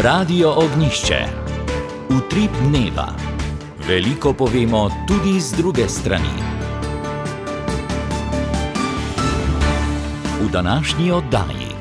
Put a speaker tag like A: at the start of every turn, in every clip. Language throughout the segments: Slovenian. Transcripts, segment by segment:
A: Radio Ognjišče. Utrip dneva. Veliko povemo tudi z druge strani. V današnji oddaji.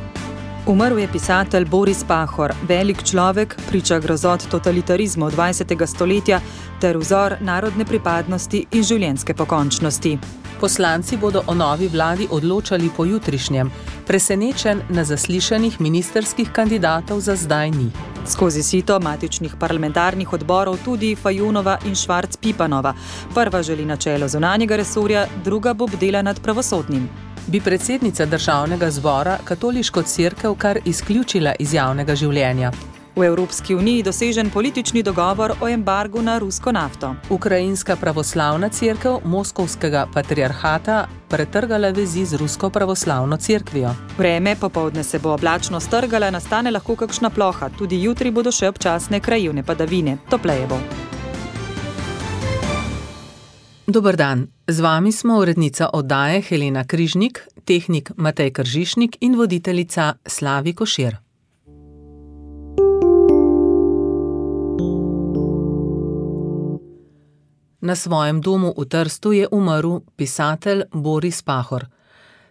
B: Umrl je pisatelj Boris Pahor, velik človek, priča grozot totalitarizma 20. stoletja ter vzor narodne pripadnosti in življenjske pokončnosti.
C: Poslanci bodo o novi vladi odločali pojutrišnjem, presenečen na zaslišanjih ministrskih kandidatov za zdaj ni.
B: Skozi sito matičnih parlamentarnih odborov tudi Fajonova in Švarc-Pipanova. Prva želi na čelo zunanjega resorja, druga bo bdela nad pravosodnim.
C: Bi predsednica državnega zbora katoliško cerkev kar izključila iz javnega življenja?
B: V Evropski uniji dosežen politični dogovor o embargu na rusko nafto.
C: Ukrajinska pravoslavna cerkev Moskovskega patriarhata pretrgala vezi z rusko pravoslavno cerkvijo.
B: Vreme, popoldne se bo oblačno strgala, nastane lahko kakšna ploha. Tudi jutri bodo še občasne krajevne padavine. Topleje bo.
C: Dober dan, z vami smo urednica oddaje Helena Križnik, tehnik Matej Kržišnik in voditeljica Slavi Košir. Na svojem domu v Trstu je umrl pisatelj Boris Pahor.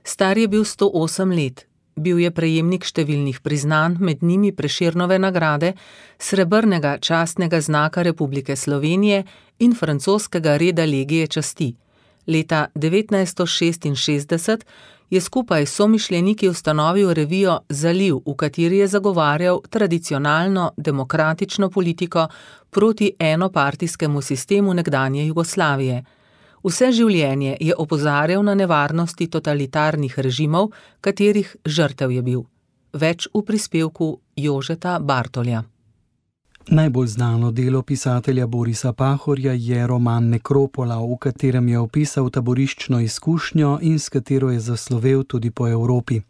C: Star je bil 108 let. Bil je prejemnik številnih priznanj, med njimi Prešernove nagrade, srebrnega častnega znaka Republike Slovenije in francoskega reda legije časti. Leta 1966 je skupaj s somišljeniki ustanovil revijo Zaliv, v kateri je zagovarjal tradicionalno demokratično politiko proti enopartijskemu sistemu nekdanje Jugoslavije. Vse življenje je opozarjal na nevarnosti totalitarnih režimov, katerih žrtev je bil. Več v prispevku Jožeta Bartolja.
D: Najbolj znano delo pisatelja Borisa Pahorja je roman Nekropola, v katerem je opisal taboriščno izkušnjo in s katero je zaslovel tudi po Evropi.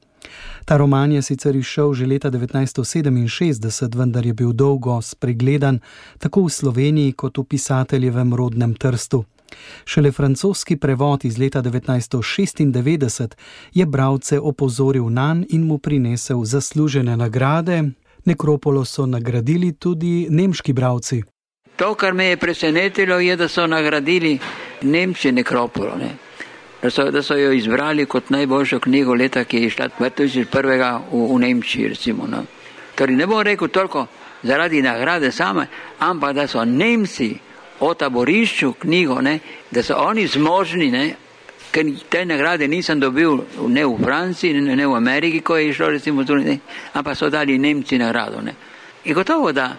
D: Ta roman je sicer izšel že leta 1967, vendar je bil dolgo spregledan tako v Sloveniji kot v pisateljevem rodnem Trstu. Šele francoski prevod iz leta 1996 je bralce opozoril nanj in mu prinesel zaslužene nagrade. Nekropolo so nagradili tudi nemški bralci.
E: To, kar me je presenetilo, je, da so nagradili Nemci Nekropolo. Da so jo izbrali kot najboljšo knjigo leta, ki je išla 2001 v Nemčiji, recimo. Torej ne bom rekel toliko zaradi nagrade same, ampak da so Nemci o taborišču knjigo, da so oni zmožni, ker te nagrade nisem dobil ne v Franciji, ne v Ameriki, ko je išlo, recimo, ampak so dali Nemci nagrado. In gotovo, da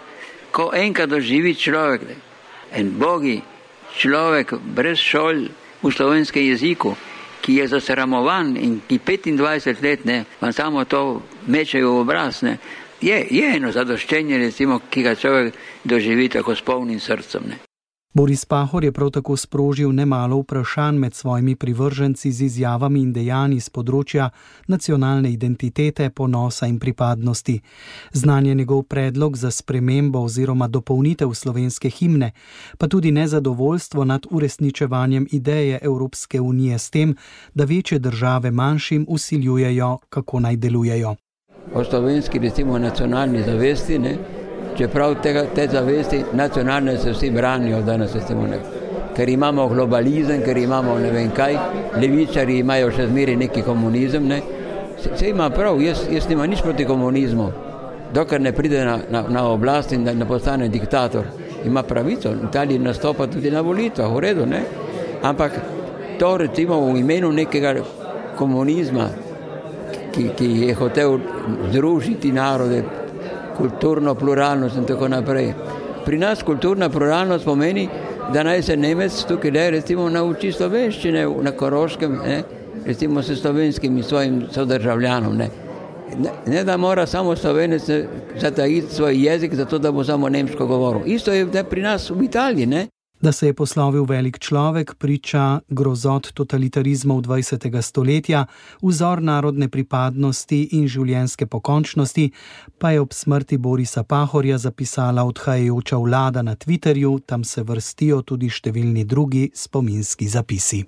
E: ko enkrat doživi človek, en bogi človek brez šol v slovenskem jeziku, ki je zasramovan in ki 25 let vam samo to mečejo v obraz, je eno zadoščenje, recimo, ki ga človek doživi tako s polnim srcem.
D: Boris Pahor je prav tako sprožil nemalo vprašanj med svojimi privrženci z izjavami in dejanji z področja nacionalne identitete, ponosa in pripadnosti. Znan je njegov predlog za spremembo oziroma dopolnitev slovenske himne, pa tudi nezadovoljstvo nad uresničevanjem ideje Evropske unije s tem, da večje države manjšim vsiljujejo, kako naj delujejo.
E: O slovenski, recimo, nacionalni zavesti, čeprav te zavesti nacionalne se vsi branijo danes, ker imamo globalizem, ker imamo ne vem kaj, levičari imajo še zmeri neki komunizem, Se ima prav, jaz nima nič proti komunizmu, dokler ne pride na oblast in ne postane diktator. Ima pravico, Italija nastopa tudi na volitvah, v redu, Ampak to recimo v imenu nekega komunizma, ki je hotel združiti narode, kulturno pluralnost in tako naprej. Pri nas kulturna pluralnost pomeni, da naj se Nemec tukaj recimo nauči slovenščine na Koroškem, recimo s slovenskim svojim sodržavljanom. Ne da mora samo Slovenec zatajiti svoj jezik, zato da bo samo nemško govoril. Isto je pri nas v Italiji,
D: Da se je poslovil velik človek, priča grozot totalitarizmov 20. stoletja, vzor narodne pripadnosti in življenjske pokončnosti, pa je ob smrti Borisa Pahorja zapisala odhajajoča vlada na Twitterju, tam se vrstijo tudi številni drugi spominski zapisi.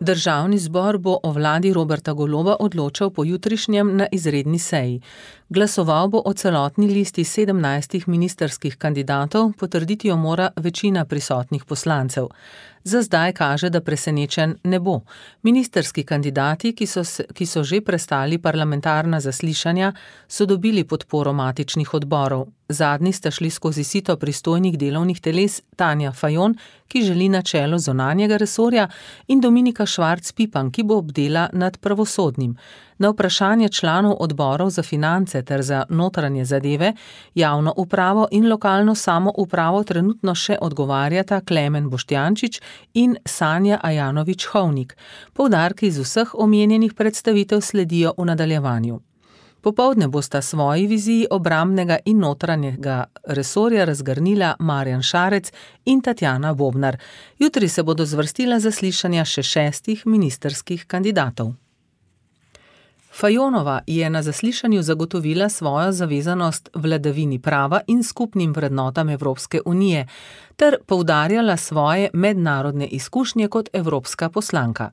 C: Državni zbor bo o vladi Roberta Goloba odločal po jutrišnjem na izredni seji. Glasoval bo o celotni listi 17 ministrskih kandidatov, potrditi jo mora večina prisotnih poslancev. Za zdaj kaže, da presenečen ne bo. Ministrski kandidati, ki so že prestali parlamentarna zaslišanja, so dobili podporo matičnih odborov. Zadnji sta šli skozi sito pristojnih delovnih teles Tanja Fajon, ki želi na čelo zunanjega resorja, in Dominika Švarc Pipan, ki bo obdela nad pravosodnim. Na vprašanje članov odborov za finance ter za notranje zadeve, javno upravo in lokalno samoupravo trenutno še odgovarjata Klemen Boštjančič in Sanja Ajanović-Hovnik. Poudarki iz vseh omenjenih predstavitev sledijo v nadaljevanju. Popoldne bosta svoji viziji obrambnega in notranjega resorja razgrnila Marjan Šarec in Tatjana Bobnar. Jutri se bodo zvrstila zaslišanja še 6 ministrskih kandidatov. Fajonova je na zaslišanju zagotovila svojo zavezanost vladavini prava in skupnim vrednotam Evropske unije ter poudarjala svoje mednarodne izkušnje kot evropska poslanka.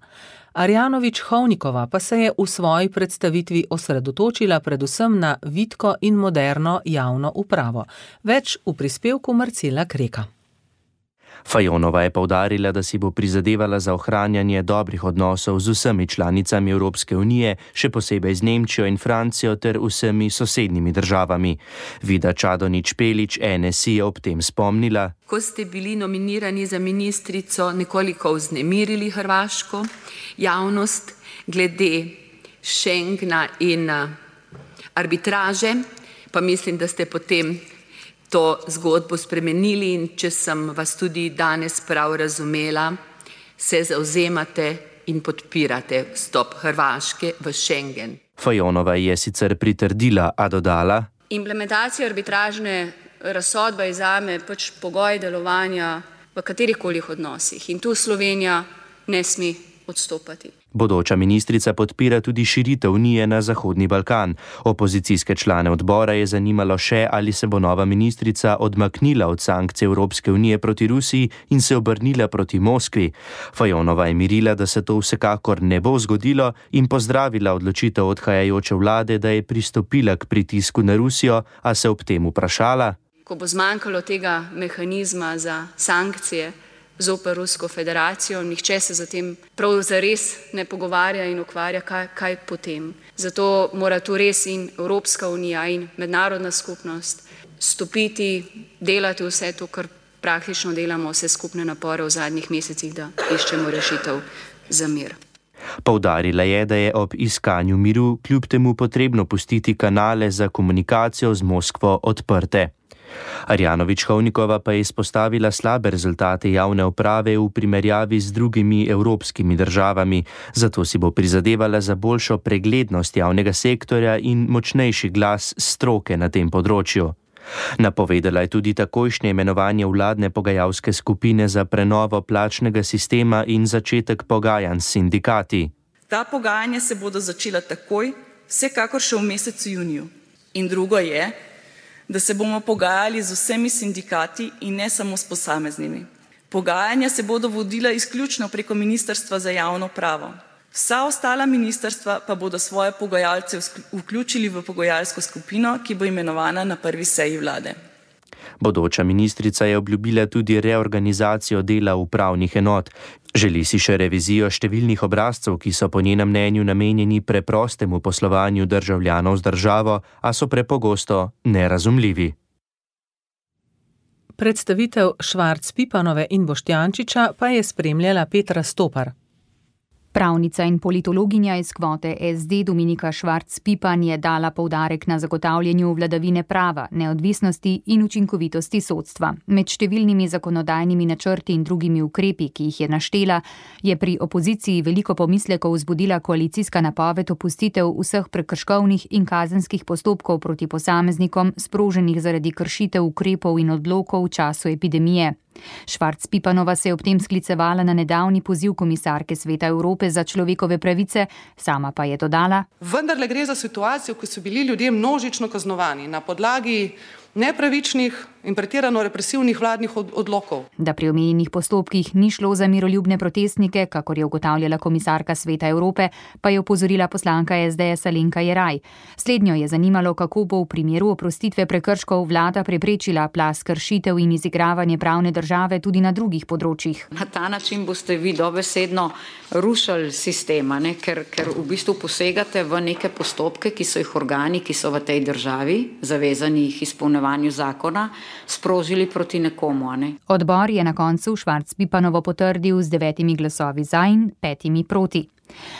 C: Arjanović-Hovnikova pa se je v svoji predstavitvi osredotočila predvsem na vitko in moderno javno upravo. Več v prispevku Marcela Kreka.
F: Fajonova je poudarila, da si bo prizadevala za ohranjanje dobrih odnosov z vsemi članicami Evropske unije, še posebej z Nemčijo in Francijo ter vsemi sosednjimi državami. Vida Čadonič-Špelič NSI je ob tem spomnila:
G: Ko ste bili nominirani za ministrico, nekoliko vznemirili hrvaško javnost glede Schengena in arbitraže, pa mislim, da ste potem to zgodbo spremenili in če sem vas tudi danes prav razumela, se zavzemate in podpirate vstop Hrvaške v Schengen.
F: Fajonova je sicer pritrdila, a dodala:
H: Implementacija arbitražne razsodbe je zame pač pogoj delovanja v katerihkoli odnosih in tu Slovenija ne sme odstopati.
F: Bodoča ministrica podpira tudi širitev unije na Zahodni Balkan. Opozicijske člane odbora je zanimalo še, ali se bo nova ministrica odmaknila od sankcij Evropske unije proti Rusiji in se obrnila proti Moskvi. Fajonova je mirila, da se to vsekakor ne bo zgodilo, in pozdravila odločitev odhajajoče vlade, da je pristopila k pritisku na Rusijo, a se ob tem vprašala:
H: Ko bo zmanjkalo tega mehanizma za sankcije zoper Rusko federacijo, nihče se zatem prav zares ne pogovarja in ukvarja, kaj potem. Zato mora tu res in Evropska unija in mednarodna skupnost stopiti, delati vse to, kar praktično delamo, vse skupne napore v zadnjih mesecih, da iščemo rešitev za mir.
F: Poudarila je, da je ob iskanju miru kljub temu potrebno pustiti kanale za komunikacijo z Moskvo odprte. Arjanović-Hovnikova pa je izpostavila slabe rezultate javne uprave v primerjavi z drugimi evropskimi državami, zato si bo prizadevala za boljšo preglednost javnega sektorja in močnejši glas stroke na tem področju. Napovedala je tudi takojšnje imenovanje vladne pogajalske skupine za prenovo plačnega sistema in začetek pogajanj s sindikati.
I: Ta pogajanja se bodo začela takoj, vsekakor še v mesecu juniju. In drugo je, da se bomo pogajali z vsemi sindikati in ne samo s posameznimi. Pogajanja se bodo vodila izključno preko Ministrstva za javno upravo. Vsa ostala ministrstva pa bodo svoje pogajalce vključili v pogajalsko skupino, ki bo imenovana na prvi seji vlade.
F: Bodoča ministrica je obljubila tudi reorganizacijo dela upravnih enot. Želi si še revizijo številnih obrazcev, ki so po njenem mnenju namenjeni preprostemu poslovanju državljanov z državo, a so prepogosto nerazumljivi.
C: Predstavitev Švarc Pipanove in Boštjančiča pa je spremljala Petra Stopar.
J: Pravnica in politologinja iz kvote SD Dominika Švarc Pipan je dala poudarek na zagotavljanju vladavine prava, neodvisnosti in učinkovitosti sodstva. Med številnimi zakonodajnimi načrti in drugimi ukrepi, ki jih je naštela, je pri opoziciji veliko pomislekov vzbudila koalicijska napoved opustitev vseh prekrškovnih in kazenskih postopkov proti posameznikom, sproženih zaradi kršitev ukrepov in odlokov v času epidemije. Švarc Pipanova se je ob tem sklicevala na nedavni poziv komisarke Sveta Evrope za človekove pravice, sama pa je dodala:
K: Vendarle gre za situacijo, ko so bili ljudje množično kaznovani na podlagi nepravičnih in pretirano represivnih vladnih odlokov.
J: Da pri omenjenih postopkih ni šlo za miroljubne protestnike, kakor je ugotavljala komisarka Sveta Evrope, pa je opozorila poslanka SDS Alenka Jeraj. Slednjo je zanimalo, kako bo v primeru oprostitve prekrškov vlada preprečila plaz kršitev in izigravanje pravne države tudi na drugih področjih.
L: Na ta način boste vi dobesedno rušili sistema, ker v bistvu posegate v neke postopke, ki so jih organi, ki so v tej državi, zavezani jih izpolnjevanju zakona, sprožili proti nekomu.
J: Odbor je na koncu Švarc-Pipanovo potrdil z 9 glasovi za in 5 proti.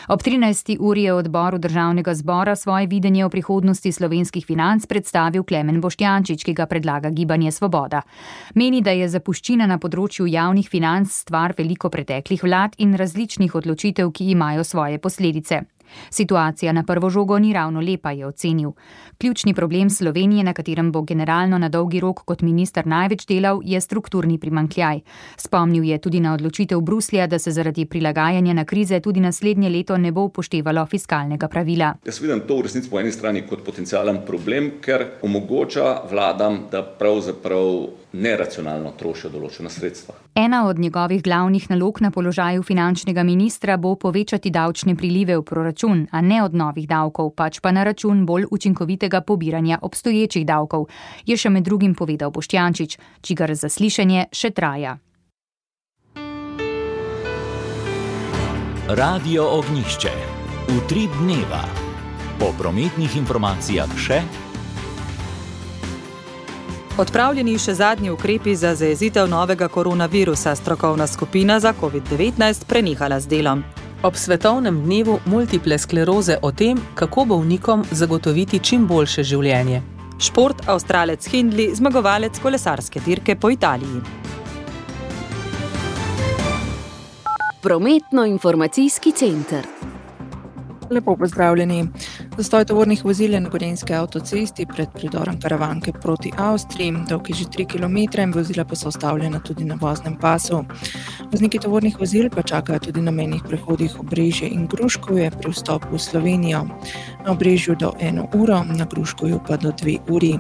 J: Ob 13. uri je odboru Državnega zbora svoje videnje o prihodnosti slovenskih financ predstavil Klemen Boštjančič, ki ga predlaga Gibanje Svoboda. Meni, da je zapuščina na področju javnih financ stvar veliko preteklih vlad in različnih odločitev, ki imajo svoje posledice. Situacija na prvo žogo ni ravno lepa, je ocenil. Ključni problem Slovenije, na katerem bo generalno na dolgi rok kot minister največ delal, je strukturni primanjkljaj. Spomnil je tudi na odločitev Bruslja, da se zaradi prilagajanja na krize tudi naslednje leto ne bo upoštevalo fiskalnega pravila.
M: Jaz vidim to v resnici po eni strani kot potencialen problem, ker omogoča vladam, da pravzaprav neracionalno trošijo določena sredstva.
J: Ena od njegovih glavnih nalog na položaju finančnega ministra bo povečati davčne prilive v proračun, a ne od novih davkov, pač pa na račun bolj učinkovitega pobiranja obstoječih davkov, je še med drugim povedal Boštjančič, čigar zaslišanje še traja.
A: Radio Ognjišče. Utrip dneva. Po prometnih informacijah še
B: odpravljeni še zadnji ukrepi za zajezitev novega koronavirusa, strokovna skupina za COVID-19 prenehala z delom.
C: Ob svetovnem dnevu multiple skleroze o tem, kako bolnikom zagotoviti čim boljše življenje.
B: Šport, Avstralec Hindley, zmagovalec kolesarske dirke po Italiji.
N: Prometno-informacijski center.
O: Lepo pozdravljeni. Zastoj tovornih vozil je na Gorenjski avtocesti pred predorom Karavanke proti Avstriji, dolg je že 3 km in vozila pa so ustavljena tudi na voznem pasu. Vozniki tovornih vozil pa čakajo tudi na mejnih prehodih Obrežje in Gruškovje pri vstopu v Slovenijo. Na Obrežju do 1 uro, na Gruškovju pa do 2 uri.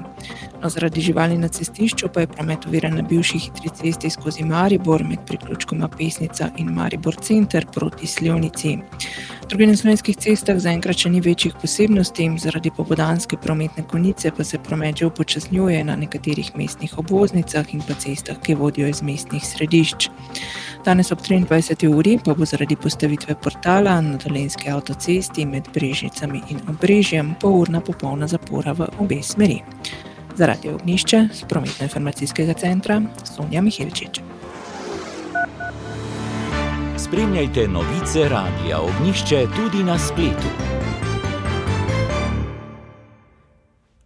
O: No, zaradi živali na cestišču pa je promet oviran na bivši hitri cesti skozi Maribor med priključkoma Pesnica in Maribor center proti Slivnici. Drugi na slovenskih cestah zaenkrat še ni večjih posebnosti, zaradi popoldanske prometne konice pa se promet že upočasnjuje na nekaterih mestnih obvoznicah in pa cestah, ki vodijo iz mestnih središč. Danes ob 23. uri pa bo zaradi postavitve portala na Dolenjski avtocesti med Brežicami in Obrežjem polurna popolna zapora v obe smeri. Za Radio Ognjišče z prometno-informacijskega centra Sonja Miheličič.
A: Spremljajte novice Radia Ognjišče tudi na spletu.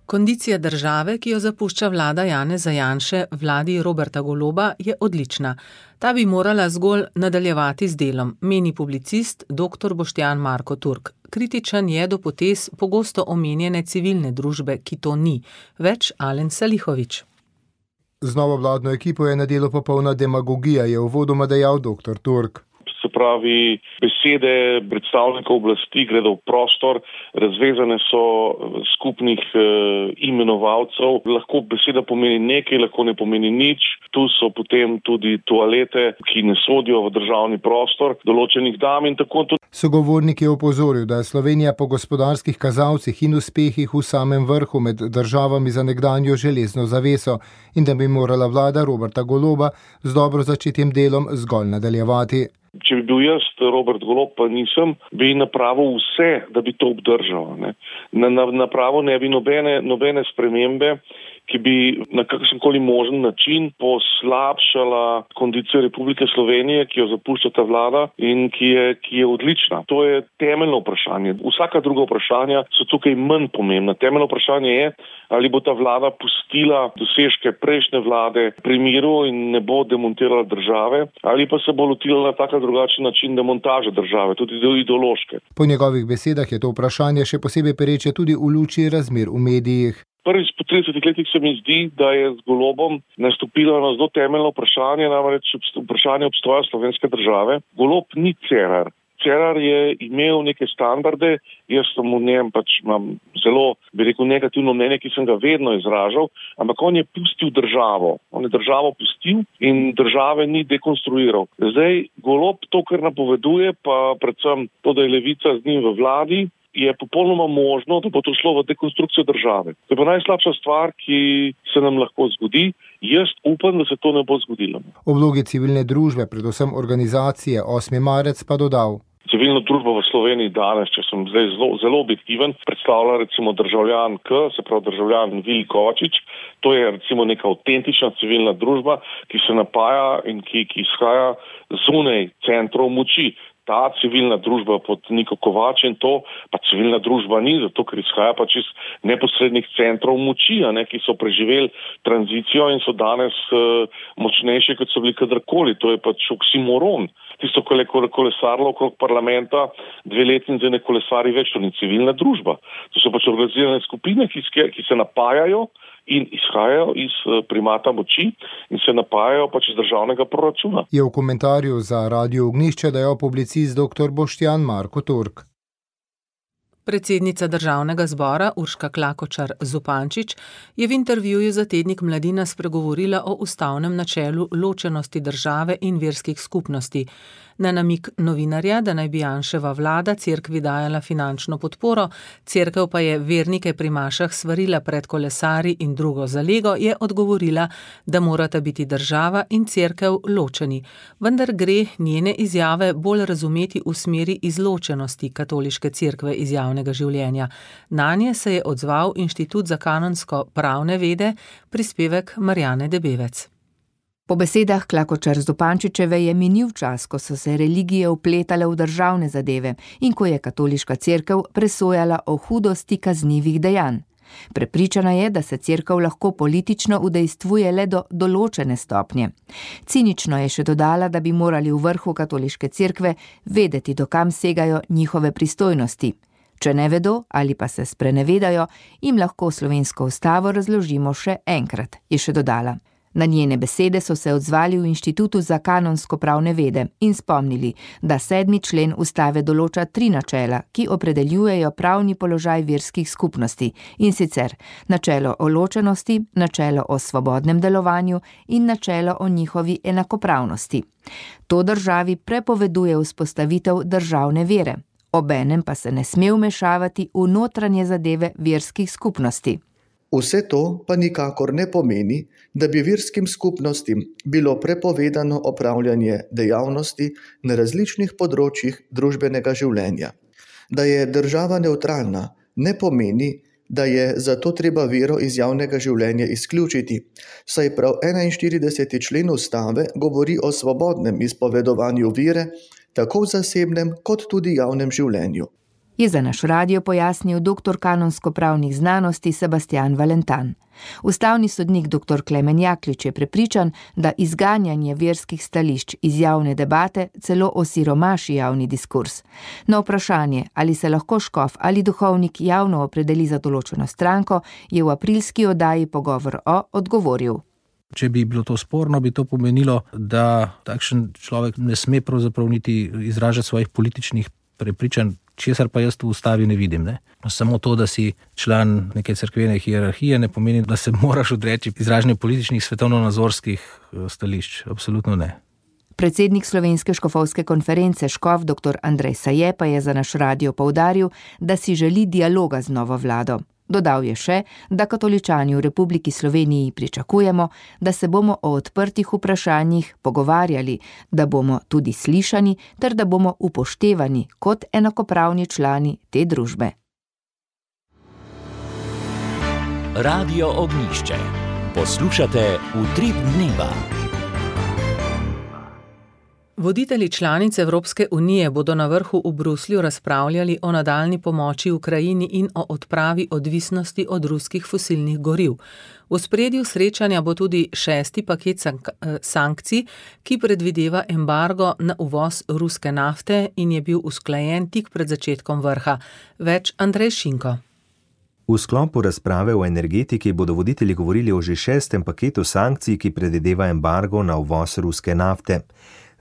C: Kondicija države, ki jo zapušča vlada Janeza Janše, vladi Roberta Goloba, je odlična. Ta bi morala zgolj nadaljevati z delom, meni publicist dr. Boštjan Marko Turk. Kritičen je do potez pogosto omenjene civilne družbe, ki to ni. Več Alen Salihovič.
P: Z novo vladno ekipo je na delu popolna demagogija, je uvodoma dejal dr. Turk.
Q: Se pravi, besede predstavnikov oblasti gredo v prostor, razvezane so skupnih imenovalcev. Lahko beseda pomeni nekaj, lahko ne pomeni nič. Tu so potem tudi toalete, ki ne sodijo v državni prostor določenih dam in tako tudi.
P: Sogovornik je opozoril, da je Slovenija po gospodarskih kazalcih in uspehih v samem vrhu med državami za nekdanjo železno zaveso in da bi morala vlada Roberta Goloba z dobro začetim delom zgolj nadaljevati.
Q: Če bi bil jaz Robert Golob, pa nisem, bi napravil vse, da bi to obdržal. Napravil ne bi nobene spremembe, ki bi na kakršenkoli možen način poslabšala kondicijo Republike Slovenije, ki jo zapušča ta vlada in ki je odlična. To je temeljno vprašanje. Vsaka druga vprašanja so tukaj manj pomembna. Temeljno vprašanje je, ali bo ta vlada pustila dosežke prejšnje vlade pri miru in ne bo demontirala države, ali pa se bo lotila na tak drugačen način demontaže države, tudi ideološke.
P: Po njegovih besedah je to vprašanje še posebej pereče tudi v luči razmer v medijih.
Q: Prvič po 30 letih se mi zdi, da je z Golobom nastopilo na zelo temeljno vprašanje, namreč vprašanje obstoja slovenske države. Golob ni Cerar. Cerar je imel neke standarde, jaz sem v njem imam zelo, bi rekel, negativno mnenje, ki sem ga vedno izražal, ampak on je pustil državo. On je državo pustil in države ni dekonstruiral. Zdaj, Golob to, kar napoveduje, pa predvsem to, da je Levica z njim v vladi, je popolnoma možno, da bo to šlo v dekonstrukcijo države. To je pa najslabša stvar, ki se nam lahko zgodi. Jaz upam, da se to ne bo zgodilo.
P: O vlogi civilne družbe, predvsem organizacije 8. marec pa dodal.
Q: Civilna družba v Sloveniji danes, če sem zdaj zelo objektiven, predstavlja recimo državljan se pravi državljan Vili Kovačič. To je recimo neka avtentična civilna družba, ki se napaja in ki izhaja zunaj centrov moči. Ta civilna družba pod Niko Kovač in to, pa civilna družba ni, zato ker izhaja iz neposrednih centrov moči, ki so preživeli tranzicijo in so danes močnejši, kot so bili kadarkoli. To je oksimoron. Tisto, ko je kolesarilo okrog parlamenta 2 leti in zdaj ne kolesari več, to ni civilna družba. To so organizirane skupine, ki se napajajo in izhajajo iz primata moči in se napajajo iz državnega proračuna.
P: Je v komentarju za Radio Ognjišče dejal publicist dr. Boštjan Marko Turk.
C: Predsednica Državnega zbora Urška Klakočar Zupančič je v intervjuju za tednik Mladina spregovorila o ustavnem načelu ločenosti države in verskih skupnosti. Na namig novinarja, da naj bi Janševa vlada cerkvi dajala finančno podporo, cerkev pa je vernike pri mašah svarila pred kolesarji in drugo zalego, je odgovorila, da morata biti država in cerkev ločeni. Vendar gre njene izjave bolj razumeti v smeri izločenosti katoliške cerkve iz javnega življenja. Nanje se je odzval Inštitut za kanonsko pravne vede, prispevek Marjane Debevec.
R: Po besedah Klakočar Zupančičeve je minil čas, ko so se religije vpletale v državne zadeve in ko je katoliška cerkev presojala o hudosti kaznivih dejanj. Prepričana je, da se cerkev lahko politično udejstvuje le do določene stopnje. Cinično je še dodala, da bi morali v vrhu katoliške cerkve vedeti, do kam segajo njihove pristojnosti. Če ne vedo ali pa se sprenevedajo, jim lahko slovensko ustavo razložimo še enkrat, je še dodala. Na njene besede so se odzvali v Inštitutu za kanonsko pravne vede in spomnili, da 7. člen ustave določa 3 načela, ki opredeljujejo pravni položaj verskih skupnosti, in sicer načelo o ločenosti, načelo o svobodnem delovanju in načelo o njihovi enakopravnosti. To državi prepoveduje vzpostavitev državne vere, obenem pa se ne sme vmešavati v notranje zadeve verskih skupnosti.
S: Vse to pa nikakor ne pomeni, da bi verskim skupnostim bilo prepovedano opravljanje dejavnosti na različnih področjih družbenega življenja. Da je država nevtralna, ne pomeni, da je zato treba vero iz javnega življenja izključiti, saj prav 41. člen ustave govori o svobodnem izpovedovanju vere, tako v zasebnem kot tudi javnem življenju.
R: Je za naš radio pojasnil doktor kanonsko-pravnih znanosti Sebastian Valentan. Ustavni sodnik dr. Klemen Jaklič je prepričan, da izganjanje verskih stališč iz javne debate celo osiromaši javni diskurs. Na vprašanje, ali se lahko škof ali duhovnik javno opredeli za določeno stranko, je v aprilski oddaji Pogovor odgovoril.
T: Če bi bilo to sporno, bi to pomenilo, da takšen človek ne sme pravzaprav niti izražati svojih političnih prepričanj, česar pa jaz v ustavi ne vidim. Samo to, da si član neke cerkvene hierarhije, ne pomeni, da se moraš odreči izražanju političnih svetovno-nazorskih stališč. Absolutno ne.
R: Predsednik Slovenske škofovske konference škof dr. Andrej Saje pa je za naš radio poudaril, da si želi dialoga z novo vlado. Dodal je še, da katoličani v Republiki Sloveniji pričakujemo, da se bomo o odprtih vprašanjih pogovarjali, da bomo tudi slišani ter da bomo upoštevani kot enakopravni člani te družbe.
A: Radio Ognjišče. Poslušate Utrip dneva.
C: Voditelji članic Evropske unije bodo na vrhu v Bruslju razpravljali o nadaljnji pomoči Ukrajini in o odpravi odvisnosti od ruskih fosilnih goriv. V ospredju srečanja bo tudi 6. paket sankcij, ki predvideva embargo na uvoz ruske nafte in je bil usklajen tik pred začetkom vrha. Več Andrej Šinko.
U: V sklopu razprave o energetiki bodo voditelji govorili o že 6. paketu sankcij, ki predvideva embargo na uvoz ruske nafte.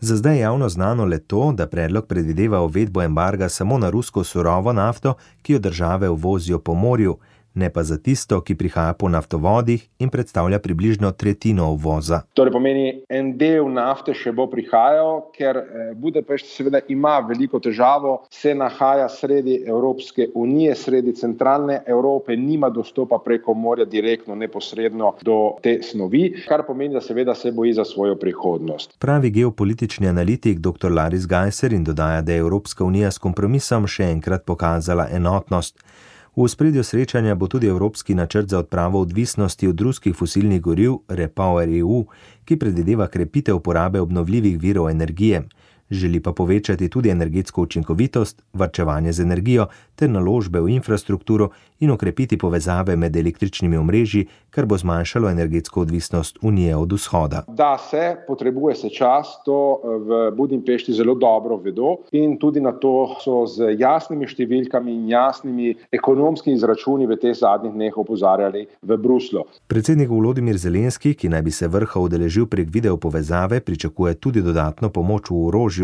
U: Za zdaj je javno znano le to, da predlog predvideva uvedbo embarga samo na rusko surovo nafto, ki jo države uvozijo po morju, ne pa za tisto, ki prihaja po naftovodih in predstavlja približno tretjino uvoza.
E: Torej pomeni, en del nafte še bo prihajal, ker Budapešt seveda ima veliko težavo, se nahaja sredi Evropske unije, sredi centralne Evrope, nima dostopa preko morja direktno, neposredno do te snovi, kar pomeni, da seveda se boji za svojo prihodnost.
U: Pravi geopolitični analitik dr. Laris Gajser in dodaja, da je Evropska unija s kompromisom še enkrat pokazala enotnost. V ospredju srečanja bo tudi Evropski načrt za odpravo odvisnosti od ruskih fosilnih goriv REPowerEU, ki predvideva krepitev uporabe obnovljivih virov energije. Želi pa povečati tudi energetsko učinkovitost, varčevanje z energijo ter naložbe v infrastrukturo in okrepiti povezave med električnimi omrežji, kar bo zmanjšalo energetsko odvisnost Unije od vzhoda.
E: Da se, potrebuje se čas, to v Budimpešti zelo dobro vedo in tudi na to so z jasnimi številkami in jasnimi ekonomskimi izračuni v teh zadnjih dneh opozarjali v Bruslu.
U: Predsednik Volodimir Zelenski, ki naj bi se vrha udeležil prek video povezave, pričakuje tudi dodatno pomoč v orožju.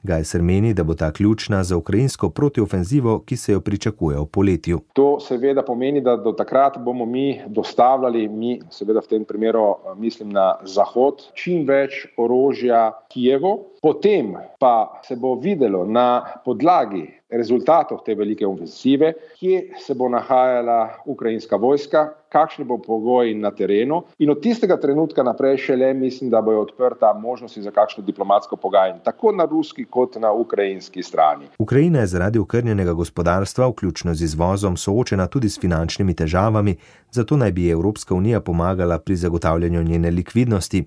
U: Gajser meni, da bo ta ključna za ukrajinsko protiofenzivo, ki se jo pričakuje v poletju.
E: To seveda pomeni, da do takrat bomo mi dostavljali, seveda v tem primeru mislim na Zahod, čim več orožja Kijevu. Potem pa se bo videlo na podlagi rezultatov te velike ofenzive, kje se bo nahajala ukrajinska vojska, kakšni bo pogoji na terenu in od tistega trenutka naprej šele mislim, da bojo odprta možnosti za kakšno diplomatsko pogajanje, tako na ruski kot na ukrajinski strani.
U: Ukrajina je zaradi okrnjenega gospodarstva, vključno z izvozom, soočena tudi s finančnimi težavami, zato naj bi Evropska unija pomagala pri zagotavljanju njene likvidnosti.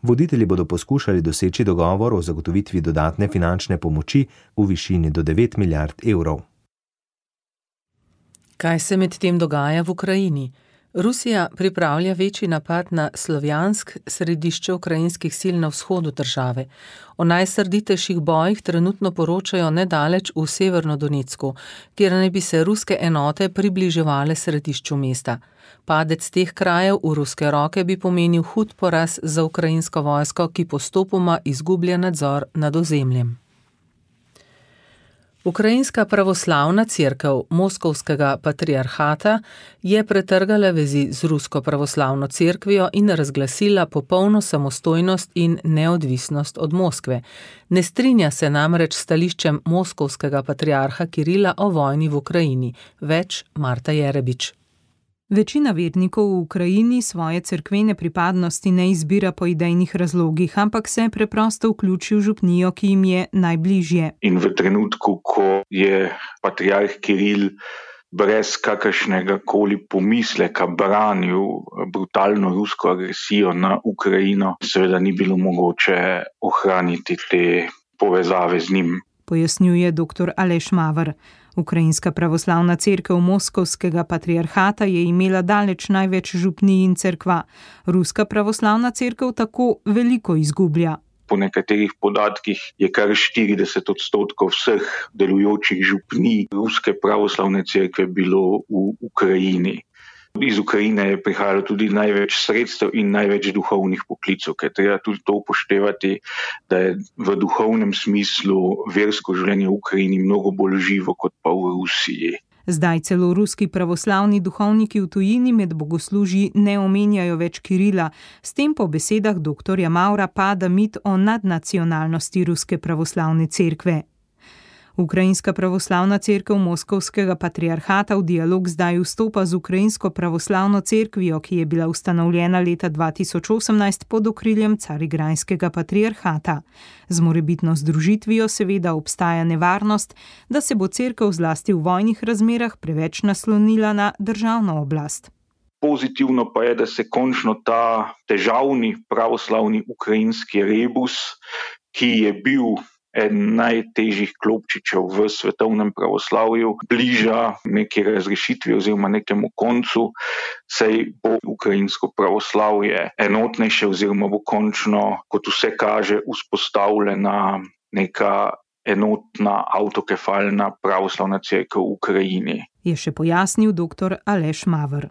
U: Voditelji bodo poskušali doseči dogovor o zagotovitvi dodatne finančne pomoči v višini do 9 milijard evrov.
C: Kaj se medtem dogaja v Ukrajini? Rusija pripravlja večji napad na Slovjansk, središče ukrajinskih sil na vzhodu države. O najsrditejših bojih trenutno poročajo nedaleč v Severnodonecku, kjer naj bi se ruske enote približevale središču mesta. Padec teh krajev v ruske roke bi pomenil hud poraz za ukrajinsko vojsko, ki postopoma izgublja nadzor nad ozemljem. Ukrajinska pravoslavna cerkev Moskovskega patriarhata je pretrgala vezi z rusko pravoslavno cerkvijo in razglasila popolno samostojnost in neodvisnost od Moskve. Ne strinja se namreč s stališčem moskovskega patriarha Kirila o vojni v Ukrajini. Več Marta Jerebič.
V: Večina vernikov v Ukrajini svoje cerkvene pripadnosti ne izbira po idejnih razlogih, ampak se preprosto vključi v župnijo, ki jim je najbližje.
W: In v trenutku, ko je patriarh Kiril brez kakršnega koli pomisleka branil brutalno rusko agresijo na Ukrajino, seveda ni bilo mogoče ohraniti te povezave z njim.
V: Pojasnjuje dr. Aleš Maver. Ukrajinska pravoslavna cerkev Moskovskega patriarhata je imela daleč največ župnij in cerkva. Ruska pravoslavna cerkev tako veliko izgublja.
W: Po nekaterih podatkih je kar 40% vseh delujočih župnij Ruske pravoslavne cerkve bilo v Ukrajini. Iz Ukrajine je prihajalo tudi največ sredstev in največ duhovnih poklicev, ker treba tudi to upoštevati, da je v duhovnem smislu versko življenje v Ukrajini mnogo bolj živo kot pa v Rusiji.
V: Zdaj celo ruski pravoslavni duhovniki v tujini med bogoslužji ne omenjajo več Kirila. S tem po besedah dr. Mavra pada mit o nadnacionalnosti Ruske pravoslavne cerkve. Ukrajinska pravoslavna cerkev Moskovskega patriarhata v dialog zdaj vstopa z Ukrajinsko pravoslavno cerkvijo, ki je bila ustanovljena leta 2018 pod okriljem Carigrajskega patriarhata. Z morebitno združitvijo seveda obstaja nevarnost, da se bo cerkev zlasti v vojnih razmerah preveč naslonila na državno oblast.
W: Pozitivno pa je, da se končno ta težavni pravoslavni ukrajinski rebus, ki je bil eden najtežjih klopčičev v svetovnem pravoslavju, bliža neki razrešitvi oziroma nekemu koncu, saj bo ukrajinsko pravoslavje enotnejše oziroma bo končno, kot vse kaže, vzpostavljena neka enotna avtokefalna pravoslavna cerkev v Ukrajini.
V: Je še pojasnil dr. Aleš Maver.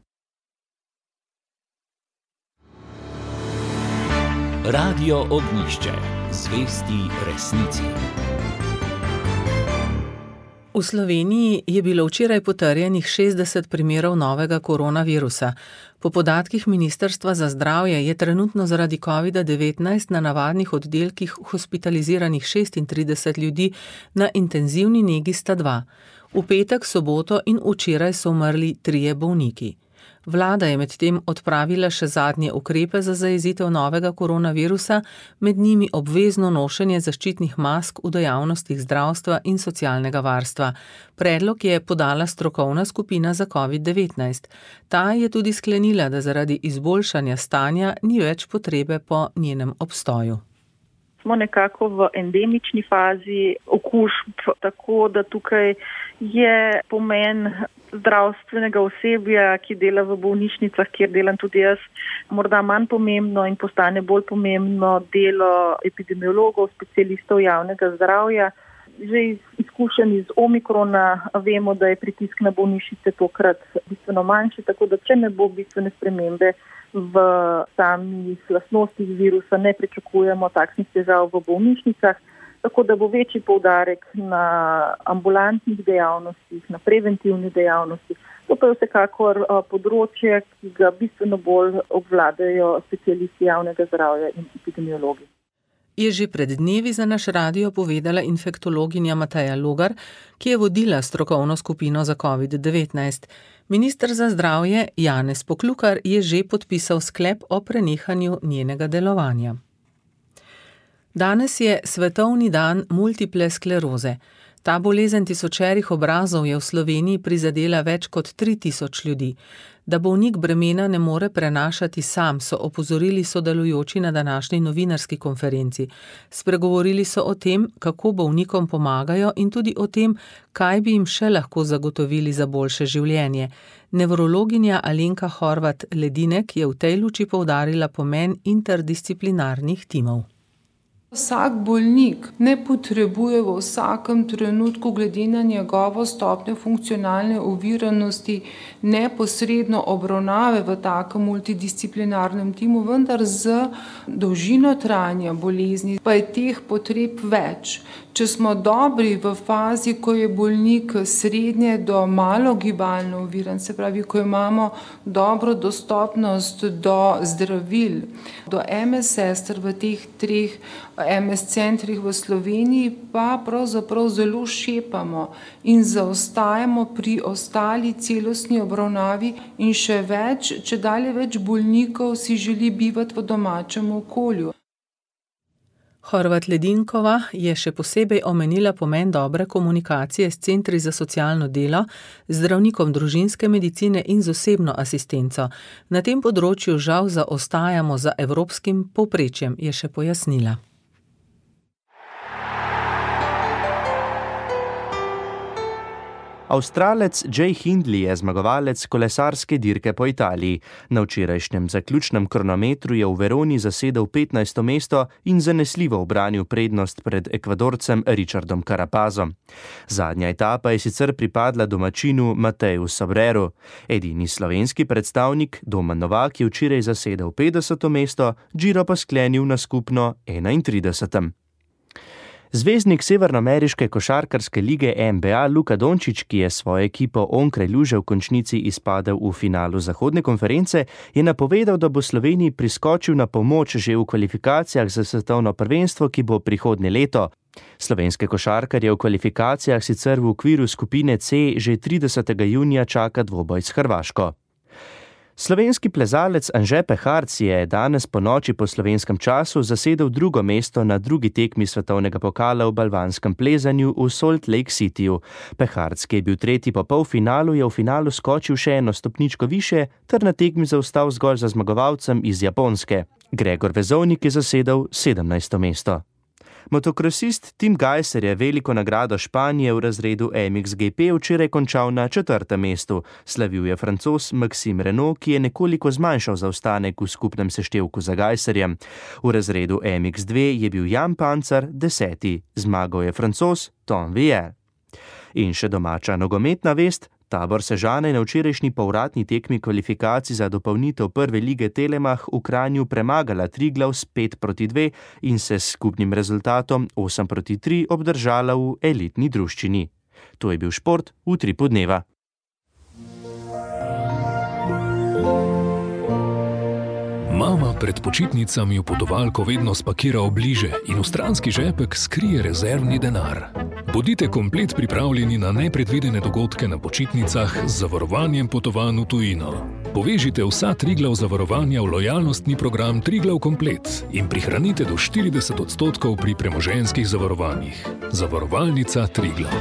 A: Radio Ognjišče. zvesti resnici.
C: V Sloveniji je bilo včeraj potrjenih 60 primerov novega koronavirusa. Po podatkih Ministrstva za zdravje je trenutno zaradi COVID-19 na navadnih oddelkih hospitaliziranih 36 ljudi, na intenzivni negi sta 2. V petek, soboto in včeraj so umrli 3 bolniki. Vlada je medtem odpravila še zadnje ukrepe za zajezitev novega koronavirusa, med njimi obvezno nošenje zaščitnih mask v dejavnostih zdravstva in socialnega varstva. Predlog je podala strokovna skupina za COVID-19. Ta je tudi sklenila, da zaradi izboljšanja stanja ni več potrebe po njenem obstoju.
D: Smo nekako v endemični fazi okužb, tako da tukaj je pomen zdravstvenega osebja, ki dela v bolnišnicah, kjer delam tudi jaz, morda manj pomembno in postane bolj pomembno delo epidemiologov, specialistov javnega zdravja. Že iz izkušenj iz Omikrona vemo, da je pritisk na bolnišnice tokrat bistveno manjši, tako da če ne bo bistvene spremembe v samih lastnostih virusa, ne pričakujemo takšnih težav v bolnišnicah, tako da bo večji poudarek na ambulantnih dejavnostih, na preventivnih dejavnostih. To pa je vsekakor področje, ki ga bistveno bolj obvladajo specialisti javnega zdravja in epidemiologi.
C: Je že pred dnevi za naš radio povedala infektologinja Mateja Logar, ki je vodila strokovno skupino za COVID-19. Minister za zdravje Janez Poklukar je že podpisal sklep o prenehanju njenega delovanja. Danes je svetovni dan multiple skleroze. Ta bolezen tisočerih obrazov je v Sloveniji prizadela več kot 3000 ljudi. Da bolnik bremena ne more prenašati sam, so opozorili sodelujoči na današnji novinarski konferenci. Spregovorili so o tem, kako bolnikom pomagajo in tudi o tem, kaj bi jim še lahko zagotovili za boljše življenje. Nevrologinja Alenka Horvat Ledinek je v tej luči poudarila pomen interdisciplinarnih timov.
G: Vsak bolnik ne potrebuje v vsakem trenutku glede na njegovo stopnjo funkcionalne oviranosti neposredno obravnave v takem multidisciplinarnem timu, vendar z dolžino trajanja bolezni pa je teh potreb več. Če smo dobri v fazi, ko je bolnik srednje do malo gibalno oviran, se pravi, ko imamo dobro dostopnost do zdravil, do MS sester v teh 3 MS centrih v Sloveniji, pa pravzaprav zelo šepamo in zaostajamo pri ostali celostni obravnavi in še več, čedalje več bolnikov si želi bivati v domačem okolju.
C: Horvat Ledinkova je še posebej omenila pomen dobre komunikacije s centri za socialno delo, zdravnikom družinske medicine in z osebno asistenco. Na tem področju žal zaostajamo za evropskim povprečjem, je še pojasnila.
F: Avstralec Jay Hindley je zmagovalec kolesarske dirke po Italiji. Na včerajšnjem zaključnem kronometru je v Veroni zasedel 15. mesto in zanesljivo ubranil prednost pred Ekvadorcem Richardom Carapazom. Zadnja etapa je sicer pripadla domačinu Mateju Sobreru. Edini slovenski predstavnik Domen Novak je včeraj zasedel 50. mesto, Giro pa sklenil na skupno 31. Zvezdnik severnoameriške košarkarske lige NBA Luka Dončić, ki je svojo ekipo onkraj luže v končnici izpadel v finalu zahodne konference, je napovedal, da bo Sloveniji priskočil na pomoč že v kvalifikacijah za svetovno prvenstvo, ki bo prihodnje leto. Slovenske košarkarje v kvalifikacijah sicer v okviru skupine C že 30. junija čaka dvoboj s Hrvaško. Slovenski plezalec Anže Peharc je danes po noči po slovenskem času zasedel 2. mesto na 2. tekmi svetovnega pokala v balvanskem plezanju v Salt Lake Cityju. Peharc, ki je bil 3. po polfinalu, je v finalu skočil še 1 stopničko više ter na tekmi zaostal zgolj za zmagovalcem iz Japonske. Gregor Vezovnik je zasedel 17. mesto. Motokrosist Tim Gajser je veliko nagrado Španije v razredu MXGP včeraj končal na 4. mestu. Slavil je Francoz Maxime Renault, ki je nekoliko zmanjšal zaostanek v skupnem seštevku za Gajserjem. V razredu MX2 je bil Jan Pancar 10. Zmagal je Francoz Tom Vier. In še domača nogometna vest, Tabor Sežana je na včerajšnji povratni tekmi kvalifikacij za dopolnitev prve lige Telemach v Kranju premagala Triglav s 5-2 in se s skupnim rezultatom 8-3 obdržala v elitni druščini. To je bil šport v Utripu dneva.
H: Mama pred počitnicami v potovalko vedno spakira obliže in v stranski žepek skrije rezervni denar. Bodite komplet pripravljeni na nepredvidene dogodke na počitnicah z zavarovanjem potovanj v tujino. Povežite vsa Triglav zavarovanja v lojalnostni program Triglav Komplet in prihranite do 40% pri premoženjskih zavarovanjih. Zavarovalnica Triglav.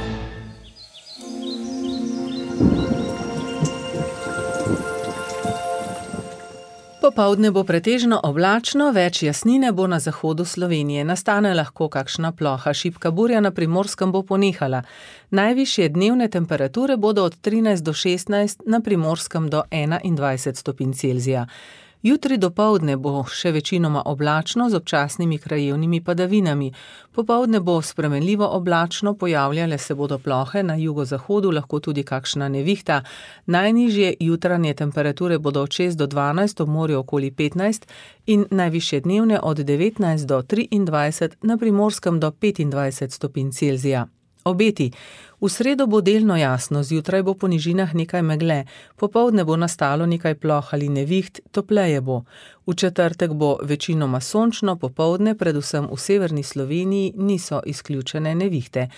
C: Popoldne bo pretežno oblačno, več jasnine bo na zahodu Slovenije. Nastane lahko kakšna ploha, šibka burja na Primorskem bo ponehala. Najvišje dnevne temperature bodo od 13 do 16, na Primorskem do 21 stopinj Celzija. Jutri dopoldne bo še večinoma oblačno z občasnimi krajevnimi padavinami. Popoldne bo spremenljivo oblačno, pojavljale se bodo plohe, na jugozahodu lahko tudi kakšna nevihta. Najnižje jutranje temperature bodo od 6 do 12, ob morju okoli 15 in najvišje dnevne od 19 do 23, na Primorskem do 25 stopinj Celzija. Obeti. V sredo bo delno jasno, zjutraj bo po nižinah nekaj megle, popoldne bo nastalo nekaj ploh ali neviht, topleje bo. V četrtek bo večinoma sončno, popoldne, predvsem v severni Sloveniji, niso izključene nevihte.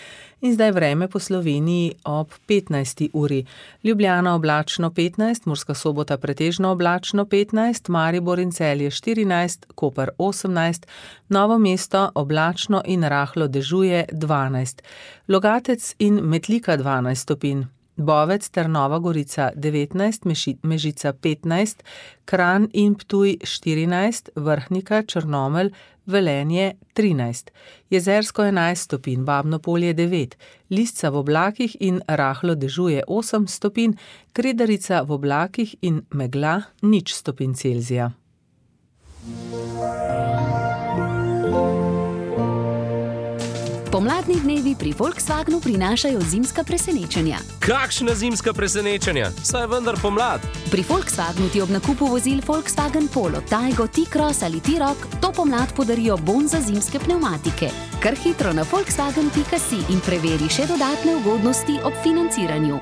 C: In zdaj vreme po Sloveniji ob 15. uri. Ljubljana oblačno 15, Murska Sobota pretežno oblačno 15, Maribor in Celje 14, Koper 18, Novo mesto oblačno in rahlo dežuje 12, Logatec in Metlika 12 stopinj, Bovec ter Nova Gorica 19, Mežica 15, Kranj in Ptuj 14, Vrhnika, Črnomelj, Velenje 13, Jezersko 11 stopinj, Babno Polje 9, Lisca v oblakih in rahlo dežuje 8 stopinj, Kredarica v oblakih in megla 0 stopinj Celzija.
N: Pomladni dnevi pri Volkswagenu prinašajo zimska presenečenja.
I: Kakšna zimska presenečenja? Saj je vendar pomlad.
N: Pri Volkswagenu ti ob nakupu vozil Volkswagen Polo, Taigo, T-Cross ali T-Roc to pomlad podarijo bon za zimske pnevmatike. Kar hitro na volkswagen.si in preveri še dodatne ugodnosti ob financiranju.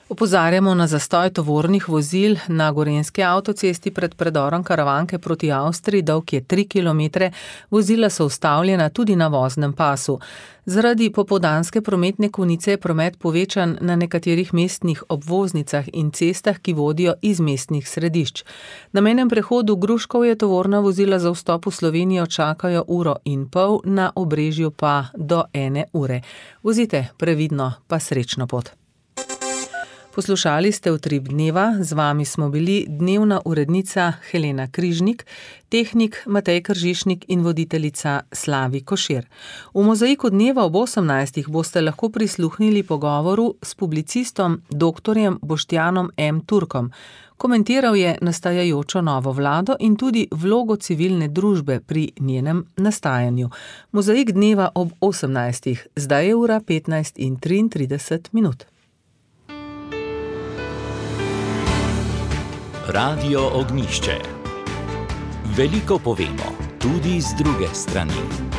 C: Opozarjamo na zastoj tovornih vozil na gorenjski avtocesti pred predorom Karavanke proti Avstriji, dolg je 3 km, vozila so ustavljena tudi na voznem pasu. Zaradi popoldanske prometne konice je promet povečan na nekaterih mestnih obvoznicah in cestah, ki vodijo iz mestnih središč. Na mejnem prehodu Gruškovje tovorna vozila za vstop v Slovenijo čakajo 1,5 ure, na Obrežju pa do 1 ure. Vozite previdno, pa srečno pot. Poslušali ste Utrip dneva, z vami smo bili dnevna urednica Helena Križnik, tehnik Matej Kržišnik in voditeljica Slavi Košir. V Mozaiku dneva ob 18. boste lahko prisluhnili pogovoru s publicistom dr. Boštjanom M. Turkom. Komentiral je nastajajočo novo vlado in tudi vlogo civilne družbe pri njenem nastajanju. Mozaik dneva ob 18. Zdaj je ura 15:33.
A: Radio Ognjišče. Veliko povemo, tudi z druge strani.